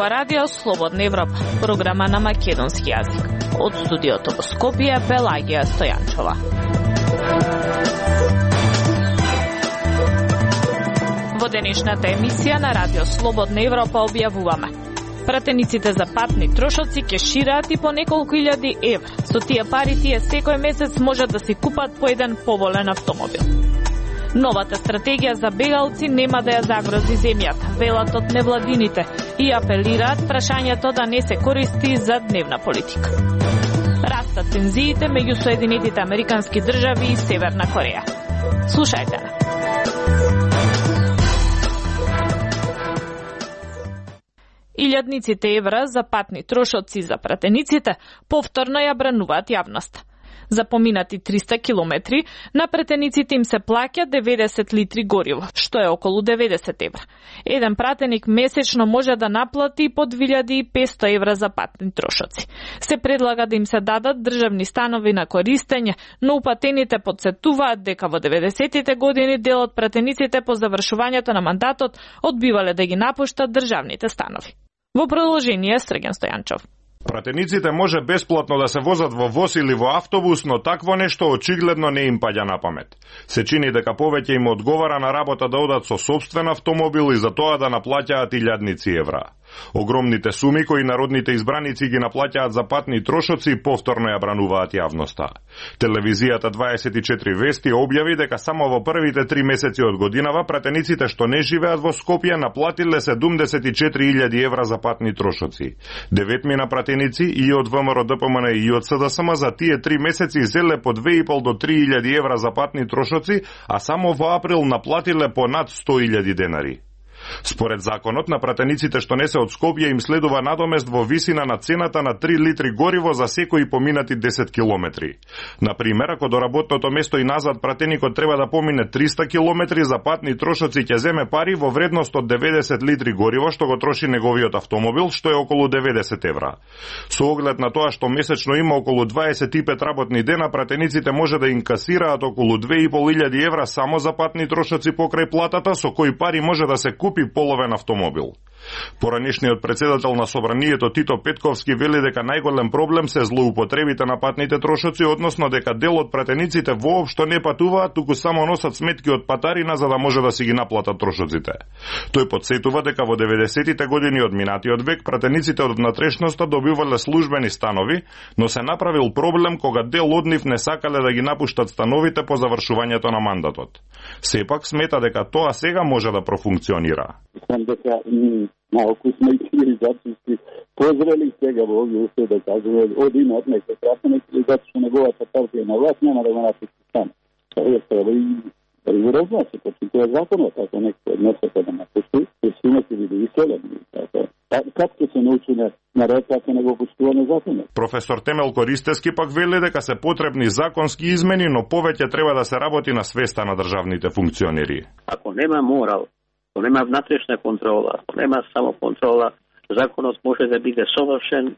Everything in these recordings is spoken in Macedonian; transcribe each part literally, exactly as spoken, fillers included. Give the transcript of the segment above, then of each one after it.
зборува Радио Слободна Европа, програма на македонски јазик. Од студиото во Скопје, Пелагија Стојанчова. Во денешната емисија на Радио Слободна Европа објавуваме: пратениците за патни трошоци ќе шираат и по неколку илјади евра. Со тие пари тие секој месец можат да си купат по еден поволен автомобил. Новата стратегија за бегалци нема да ја загрози земјата, велат од невладините, и апелираат прашањето да не се користи за дневна политика. Растат тензиите меѓу Соединетите Американски држави и Северна Кореја. Слушајте на. Илјадниците евра за патни трошоци за пратениците повторно ја брануваат јавноста. За поминати триста километри на пратениците им се плаќа деветдесет литри гориво, што е околу деветдесет евра. Еден пратеник месечно може да наплати по две илјади и песто евра за патни трошоци. Се предлага да им се дадат државни станови на користење, но упатените подсетуваат дека во деветдесетите години дел од пратениците по завршувањето на мандатот одбивале да ги напуштат државните станови. Во продолжение, Срген Стојанчов. Пратениците може бесплатно да се возат во воз или во автобус, но такво нешто очигледно не им паѓа на памет. Се чини дека повеќе им одговара на работа да одат со сопствен автомобил и за тоа да наплаќаат илјадници евра. Огромните суми кои народните избраници ги наплаќаат за патни трошоци повторно ја брануваат јавноста. Телевизијата дваесет и четири вести објави дека само во првите три месеци од годинава пратениците што не живеат во Скопје наплатиле седумдесет и четири илјади евра за патни трошоци. Деветмина пратеници и од ВМРО Д П М Н и од С Д С М за тие три месеци зеле по две и пол до три илјади евра за патни трошоци, а само во април наплатиле по над сто илјади денари. Според законот, на пратениците што не се од Скопје им следува надомест во висина на цената на три литри гориво за секои поминати десет километри. Например, ако до работното место и назад пратеникот треба да помине триста километри, за патни трошоци ќе земе пари во вредност од деветдесет литри гориво што го троши неговиот автомобил, што е околу деветдесет евра. Со оглед на тоа што месечно има околу дваесет и пет работни дена, пратениците може да инкасираат околу две и пол илјади евра само за патни трошоци покрај платата, со кои пари може да се купи половен автомобил. Поранешниот председател на Собранието Тито Петковски вели дека најголем проблем се злоупотребите на патните трошоци, односно дека дел од пратениците воопшто не патуваат, туку само носат сметки од патарина за да може да си ги наплатат трошоците. Тој потсетува дека во деветдесетите години од минатиот век пратениците од внатрешноста добивале службени станови, но се направил проблем кога дел од нив не сакале да ги напуштат становите по завршувањето на мандатот. Сепак смета дека тоа сега може да профункционира. Малку сме и цивилизацијски позрели сега во овие услови да кажеме один од некој пратеник или затоа што неговата партија на власт нема да го напусти стан. Тоа треба и да го разнесе, почти тоа е законот, ако некој не сака да напусти, ќе си имате биде иселени. Како ќе се научи на, на ред, ако не го почитуваме законот? Професор Темел Користески пак вели дека се потребни законски измени, но повеќе треба да се работи на свеста на државните функционери. Ако нема морал, ако нема внатрешна контрола, ако нема само контрола, законот може да биде совршен,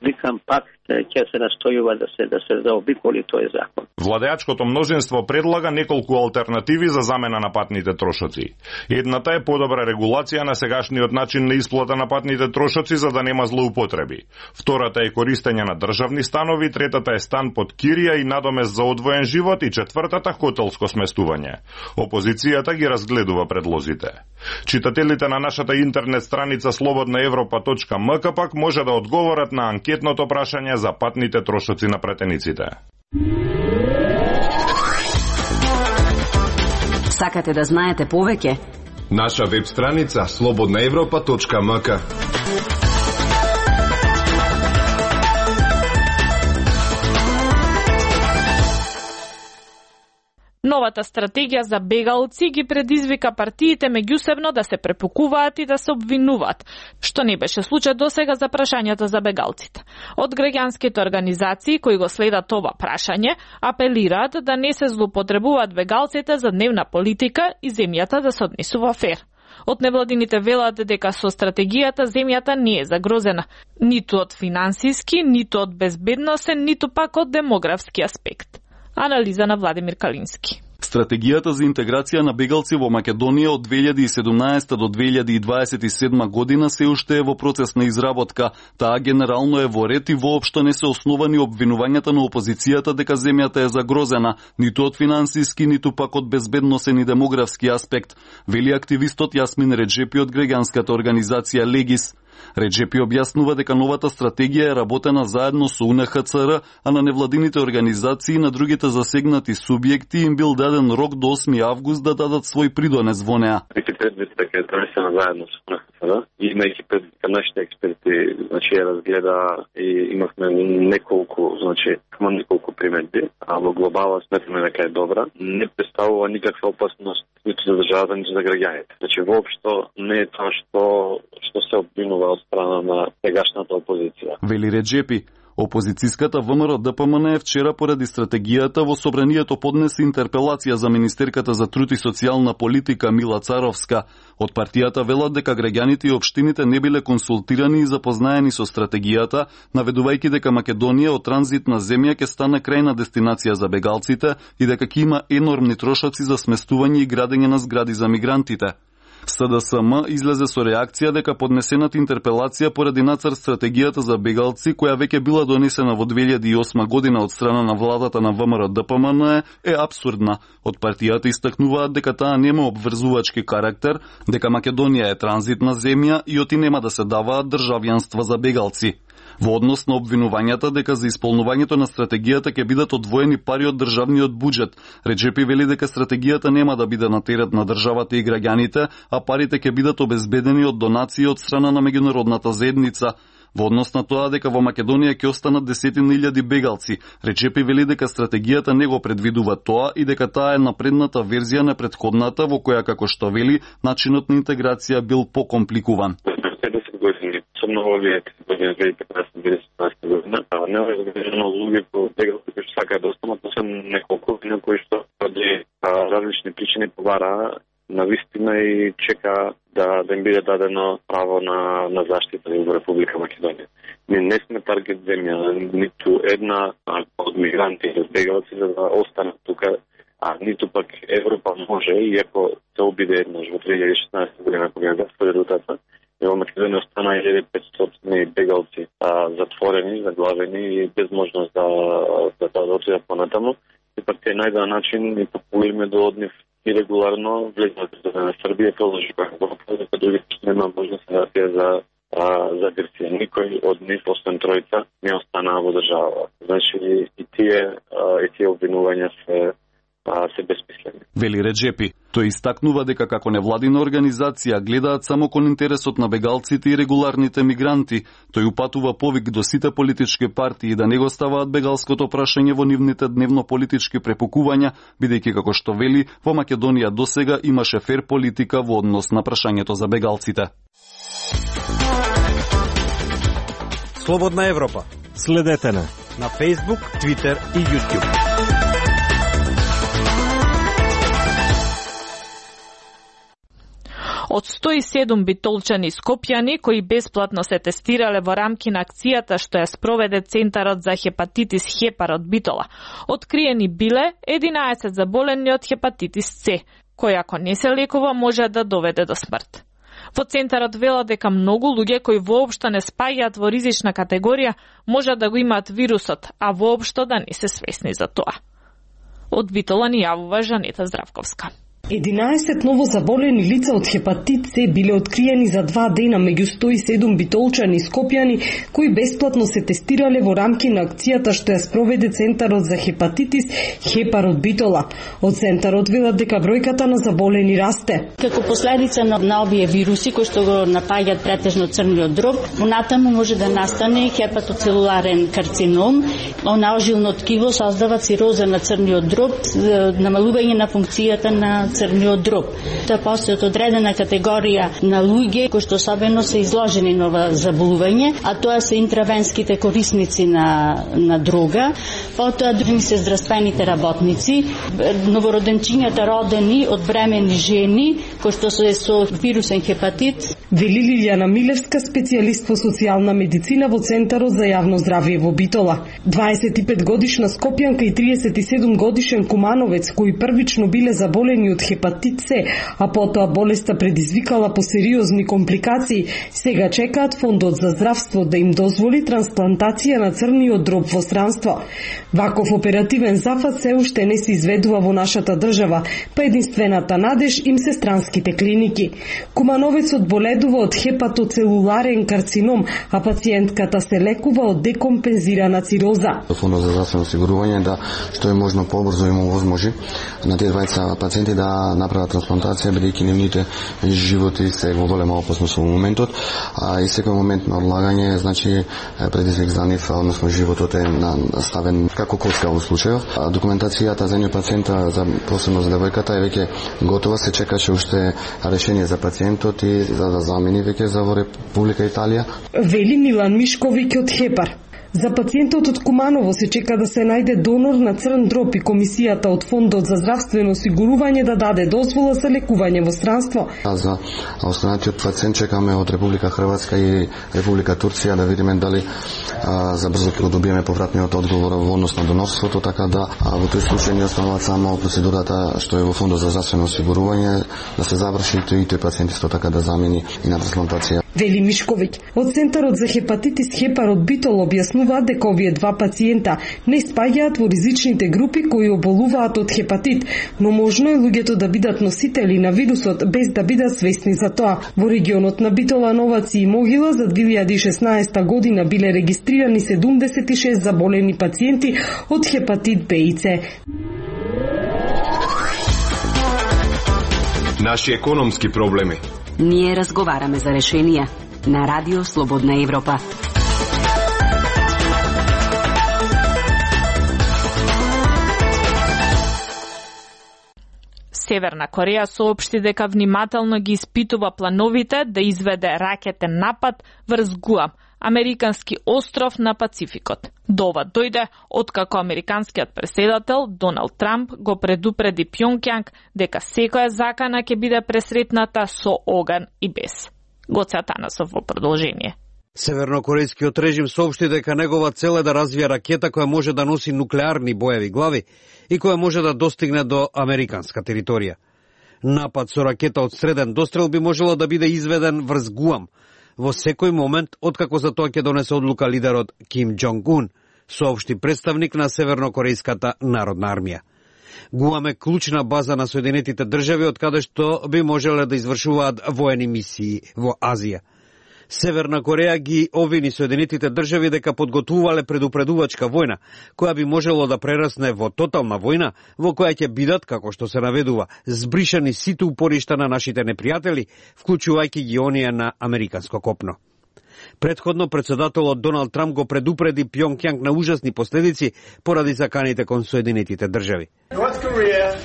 викам пак ќе се настојува да се да се заобиколи тој закон. Владеачкото мнозинство предлага неколку алтернативи за замена на патните трошоци. Едната е подобра регулација на сегашниот начин на исплата на патните трошоци за да нема злоупотреби. Втората е користење на државни станови, третата е стан под кирија и надомест за одвоен живот и четвртата хотелско сместување. Опозицијата ги разгледува предлозите. Читателите на нашата интернет страница слободна европа точка м к пак може да одговорат на анкетното прашање за патните трошоци на пратениците. Сакате да знаете повеќе? Наша веб страница слободна европа точка м к. Новата стратегија за бегалци ги предизвика партиите меѓусебно да се препукуваат и да се обвинуваат, што не беше случај досега за прашањата за бегалците. Од граѓанските организации кои го следат ова прашање, апелираат да не се злоупотребуваат бегалците за дневна политика и земјата да се однесува фер. Од невладините велат дека со стратегијата земјата не е загрозена, ниту од финансиски, ниту од безбедносен, ниту пак од демографски аспект. Анализа на Владимир Калински. Стратегијата за интеграција на бегалци во Македонија од две илјади и седумнаесета до две илјади и дваесет и седма година се уште е во процес на изработка. Таа генерално е во ред и воопшто не се основани обвинувањата на опозицијата дека земјата е загрозена, ниту од финансиски, ниту пак од безбедносен и демографски аспект, вели активистот Јасмин Реджепи од граѓанската организација Легис. Реджепи објаснува дека новата стратегија е работена заедно со У Н Х Ц Р, а на невладините организации и на другите засегнати субјекти им бил даден рок до осми август да дадат свој придонес во неа. Имајќи предвид дека е донесена заедно со У Н Х Ц Р и имајќи предвид дека нашите експерти значи ја разгледа и имавме неколку, значи има неколку приметби, а во глобала сметаме дека е добра, не представува никаква опасност ниту за државата, ниту за граѓаните. Значи воопшто не е тоа што што се обвинува од страна на сегашната опозиција. Вели Реджепи. Опозицијската В М Р Д П М Н вчера поради стратегијата во собранието поднесе интерпелација за министерката за труд и социјална политика Мила Царовска. Од партијата велат дека граѓаните и општините не биле консултирани и запознаени со стратегијата, наведувајќи дека Македонија од транзитна земја ќе стане крајна дестинација за бегалците и дека ќе има енормни трошоци за сместување и градење на згради за мигрантите. С Д С М излезе со реакција дека поднесената интерпелација поради нацрт стратегијата за бегалци, која веќе била донесена во две илјади и осма година од страна на владата на В М Р Д П М Н е абсурдна. Од партијата истакнуваат дека таа нема обврзувачки карактер, дека Македонија е транзитна земја и оти нема да се даваат државјанства за бегалци. Во однос на обвинувањата дека за исполнувањето на стратегијата ќе бидат одвоени пари од државниот буџет, Реджепи вели дека стратегијата нема да биде на терет на државата и граѓаните, а парите ќе бидат обезбедени од донации од страна на меѓународната заедница. Во однос на тоа дека во Македонија ќе останат десетина илјади бегалци, Реджепи вели дека стратегијата не го предвидува тоа и дека таа е напредната верзија на претходната во која, како што вели, начинот на интеграција бил покомпликуван. Особено во овие години две илјади и петнаесета до две илјади и седемнаесета година, не е разгледано луѓе кои бегалци кои што сакаат да останат, освен неколку на кои што поради различни причини побара на вистина и чека да, да им биде дадено право на, на заштита во Република Македонија. Ние не сме таргет земја, ниту една од мигранти или бегалци за да останат тука, а ниту пак Европа може, иако се обиде еднаш во две илјади и шеснаесета година кога ја затвори рутата, и во Македонија остана илјада и петстотини бегалци а, затворени, заглавени и без можност да да, да, да отидат понатаму. И пак те најден начин и популиме до од нив ирегуларно влезат на Србија, продолжи како дека другите што нема можност да се за а, за Грција. Никој од нив, освен тројца, не останаа во држава. Значи и тие а, и тие обвинувања се а, се безсмислени. Вели Реджепи. Тој истакнува дека како невладина организација гледаат само кон интересот на бегалците и регуларните мигранти. Тој упатува повик до сите политички партии да не го ставаат бегалското прашање во нивните дневно-политички препукувања, бидејќи како што вели, во Македонија досега имаше фер политика во однос на прашањето за бегалците. Слободна Европа. Следете на на Facebook, Twitter и YouTube. Од сто и седум битолчани скопјани кои бесплатно се тестирале во рамки на акцијата што ја спроведе Центарот за хепатитис Хепар од Битола, откриени биле единаесет заболени од хепатитис С, кој ако не се лекува може да доведе до смрт. Во Центарот велат дека многу луѓе кои воопшто не спаѓаат во ризична категорија може да го имаат вирусот, а воопшто да не се свесни за тоа. Од Битола ни јавува Жанета Здравковска. единаесет ново заболени лица од хепатит С биле откриени за два дена меѓу сто и седум битолчани скопјани кои бесплатно се тестирале во рамки на акцијата што ја спроведе Центарот за хепатитис Хепар од Битола. Од Центарот велат дека бројката на заболени расте. Како последица на, на овие вируси кои што го напаѓаат претежно црниот дроб, понатаму може да настане хепатоцелуларен карцином, она ожилно ткиво создава цироза на црниот дроб, намалување на функцијата на црниот дроб. Тоа постои одредена категорија на луѓе кои што особено се изложени на ова заболување, а тоа се интравенските корисници на на дрога, потоа други се здравствените работници, новороденчињата родени од бремени жени кои што се со вирусен хепатит. Вели Лилјана Милевска, специјалист по социјална медицина во Центарот за јавно здравје во Битола. дваесет и пет годишна скопјанка и триесет и седум годишен кумановец кои првично биле заболени од хепатит С, а потоа болеста предизвикала по сериозни компликации, сега чекаат Фондот за здравство да им дозволи трансплантација на црниот дроб во странство. Ваков оперативен зафат се уште не се изведува во нашата држава, па единствената надеж им се странските клиники. Кумановецот боледува од хепатоцелуларен карцином, а пациентката се лекува од декомпензирана цироза. Фондот за здравствено осигурување да што е можно побрзо им овозможи на тие двајца пациенти да направат трансплантација, бидејќи нивните животи се во голема опасност во моментот, а и секој момент на одлагање значи предизвик за нив, односно животот е ставен како коцка во случајов. Документацијата за нив пациента, за посебно за девојката, е веќе готова, се чекаше уште решение за пациентот и за да замени веќе за во Република Италија. Вели Милан Мишковиќ од Хепар. За пациентот од Куманово се чека да се најде донор на црн дроб и комисијата од Фондот за здравствено осигурување да даде дозвола за лекување во странство. За останатиот пациент чекаме од Република Хрватска и Република Турција да видиме дали а, за брзо ќе добиеме повратниот одговор во однос на донорството, така да а, во тој случај ни останува само процедурата што е во Фондот за здравствено осигурување да се заврши и тој пациент исто така да замени и на трансплантација. Вели Мишковиќ. Од Центарот за хепатитис Хепар од Битол објаснуваат дека овие два пациента не спаѓаат во ризичните групи кои оболуваат од хепатит, но можно е луѓето да бидат носители на вирусот без да бидат свесни за тоа. Во регионот на Битола, Новаци и Могила за две илјади и шеснаесета година биле регистрирани седумдесет и шест заболени пациенти од хепатит Б и С. Наши економски проблеми. Ние разговараме за решенија на Радио Слободна Европа. Северна Кореја соопшти дека внимателно ги испитува плановите да изведе ракетен напад врз Гуам, американски остров на Пацификот. До ова дојде откако американскиот претседател Доналд Трамп го предупреди Пјонкјанг дека секоја закана ќе биде пресретната со оган и без. Гоце Атанасов во продолжение. Севернокорејскиот режим соопшти дека негова цел е да развие ракета која може да носи нуклеарни боеви глави и која може да достигне до американска територија. Напад со ракета од среден дострел би можело да биде изведен врз Гуам во секој момент откако за тоа ќе донесе одлука лидерот Ким Џонг Ун, соопшти представник на Севернокорејската народна армија. Гуам е клучна база на Соединетите држави од каде што би можеле да извршуваат воени мисии во Азија. Северна Кореја ги обвини Соединетите држави дека подготвувале предупредувачка војна, која би можело да прерасне во тотална војна, во која ќе бидат, како што се наведува, збришани сите упоришта на нашите непријатели, вклучувајќи ги оние на американско копно. Предходно председателот Доналд Трамп го предупреди Пјонкјанг на ужасни последици поради заканите кон Соединетите држави. North Korea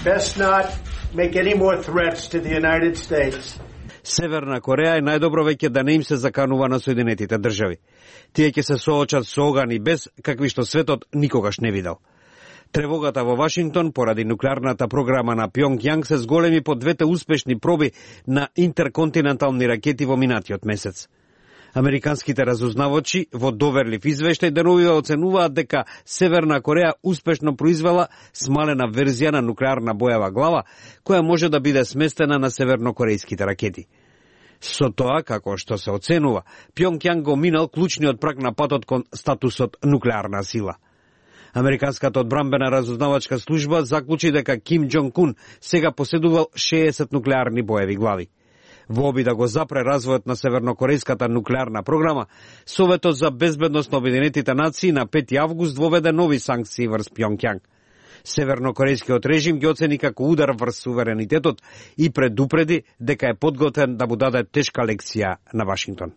best not make any more threats to the United States. Северна Кореја е најдобро веќе да не им се заканува на Соединетите држави. Тие ќе се соочат со оган и без, какви што светот никогаш не видел. Тревогата во Вашингтон поради нуклеарната програма на Пјонкјанг се зголеми по двете успешни проби на интерконтинентални ракети во минатиот месец. Американските разузнавачи во доверлив извештај деновива оценуваат дека Северна Кореја успешно произвела смалена верзија на нуклеарна боева глава, која може да биде сместена на севернокорејските ракети. Со тоа, како што се оценува, Пјонкјанг го минал клучниот праг на патот кон статусот нуклеарна сила. Американската одбранбена разузнавачка служба заклучи дека Ким Џонг Ун сега поседувал шеесет нуклеарни боеви глави. Во обид да го запре развојот на севернокорејската нуклеарна програма, Советот за безбедност на Обединетите нации на пети август воведе нови санкции врз Пјонкјанг. Севернокорејскиот режим ги оцени како удар врз суверенитетот и предупреди дека е подготвен да му даде тешка лекција на Вашингтон.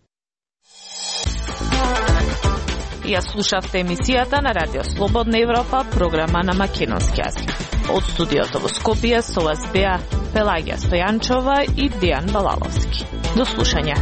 Ја слушавте емисијата на Радио Слободна Европа, програма на македонски јазик. Од студиото во Скопје со вас беа Пелагија Стојанчова и Дејан Балаловски. До слушање.